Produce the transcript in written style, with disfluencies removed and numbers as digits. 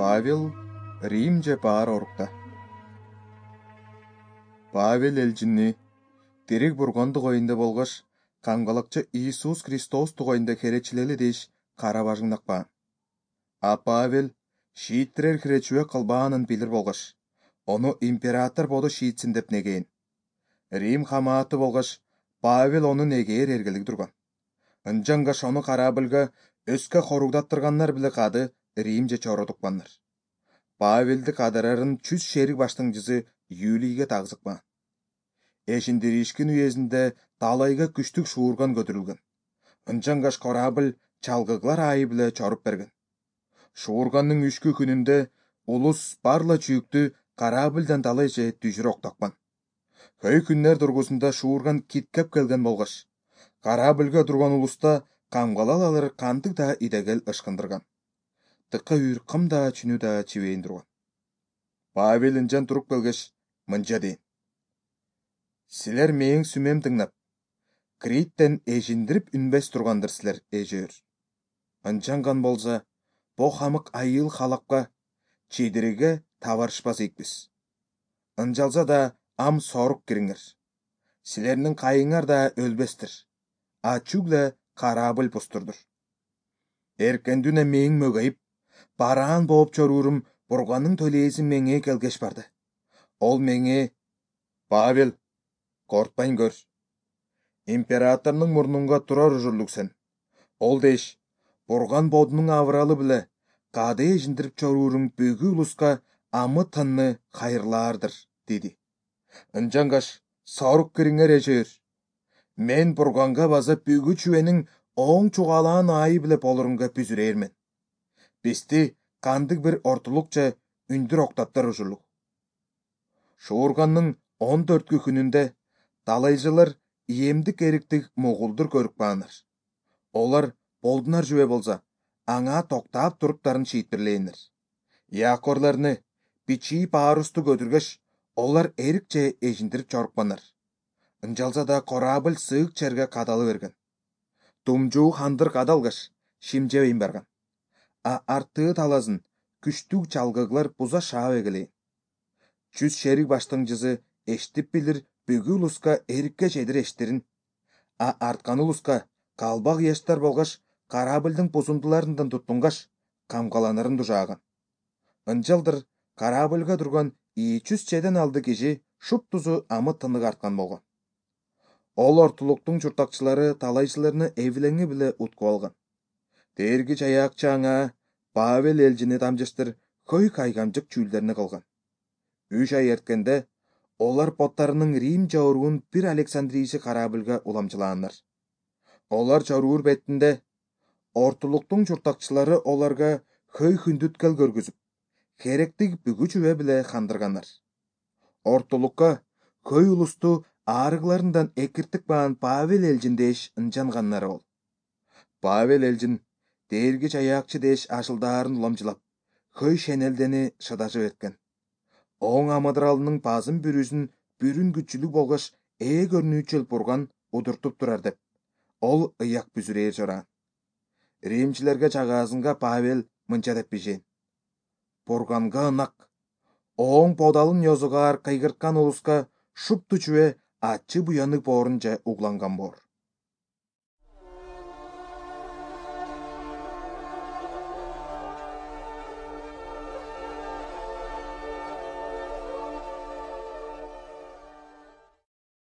Павел Римже баар орукта. Павел элчинни тирик бурганды коюнда болгош камгалакчы Иисус Христос тугайында херечилели деш кара бажыңнакпаан. А Павел шииттирер хиречүбө кылбаанын билир болгош, ону император боду шиитсин деп негейин. Рим хамааты болгош Павел ону негээр эргелиги турган. Ынжангаш ону карабылга өскө хоругдаттырганнар биле кады Римже чородукпаннар. Павелди кадарарын чүз шерик баштыңчысы Юлийге тагзыкпаан. Эшиндиришкин уезинде талайга күчтүк шуурган көтөрүлгөн. Ынжангаш корабль чалгыглар айы биле чоруп берген. Шуурганның 3 күнүндө улус барла чүйүктү корабльдан талайча түшүр октакпан. Көй күннер тургусунда шуурган киткеп келген болгош, корабльга турган улуста камгалал алыр кандык да идегел ышкындырган. Тыкка үйр кым да чүнү да чибейин турган. Павел ынжан туруп келгеш, мынча дейин: «Силер мээң сүмем тыңнап, Криттен эжиндирип үнбес тургандыр силер эжөөр. Ынжанган болса, бо хамык айыл халапка, чидириге табарышпас ийикпиз. Ынжалса да ам сорук кириңер. Силердин кайыңар да өлбестир, а чүгле корабль пустурдур. Эркендүнө мээң мөгөйүп, бараан болуп чоруурум бурганның төлээси меңе келгеш барды. Ол меңе: Павел, кортпайн көр. Императордун мурнунга турар ужурлук сен. Ол деш, бурган бодунун авыралы биле кады эжиндирип чоруурум бүгү улуска амы тынны кайырлаардыр, деди. Ынжангаш сорук кириңер эжөөр. Мен бурганга база бүгү чүбенин оң чугалаан айы биле болорунга бүзүрээрмен. Бизди кандык бир ортулукча үндүр октаптар ужурлук. Шуурганның 14 күнүндө талайчылар иемдик эриктик мугулдур көрүп каанар. Олар болдунар жүбө болса, аңа токтап туруптарын шиитпирлээнер. Якорларны, бичи парусту көтүргөш, олар эрикче эжиндирип чорукпанар. Ынжалса да корабль сыык черге кадалы берген. Тумжуу хандыр кадалгаш, шимжебейин барган. А арттыы таласын күчтүк чалгыглар буза шаап эгелейин. Чүз шерик баштыңчысы эштип билир бүгү улуска эрикке чедир эштирин, а арткан улуска калбак яштар болгош корабльдын бузундуларынан туттунгаш камгаланарын дужааган. Ынжалдыр корабльга турган 200 чеден алды киши шуптузу амы тынык арткан болгон. Ол ортулуктун чуртакчылары талайчыларны эвилеңи биле уткуп алган. Дээрги чаяакчы аңа Павел элчини тамжыштыр көй кайгамжык чүүлдерини кылган. 3 ай эрткенде олар боттарынын Рим жорууун бир Александрийси корабльга уламжылааннар. Олар чоруур бетинде ортулуктун чуртакчылары оларга хөй хүндүткел көргүзүп, керектик бүгү чүбө биле кандырганнар. Ортулукка көй улусту аарыгларынан экиртик баан Павел элчин деш ынжанганнары ол. Павел элчин дээрги чаяакчы деш ашылдаарын уламжылап, хөй шенелдени шыдашып эткен. Оң амыдыралынын базын бүрүсүн бүрүн күчүлүк болгош көрнүүчүл бурган удуртуп турар деп, ол ыяк бүзүрээр жораан. Римчилерге чагаасынга Павел мынча деп бишейин: бурганга ынак, оң подалын ёзугаар кыйгырткан улуска шупту чүбө ачы буяны боорунча угланган боор.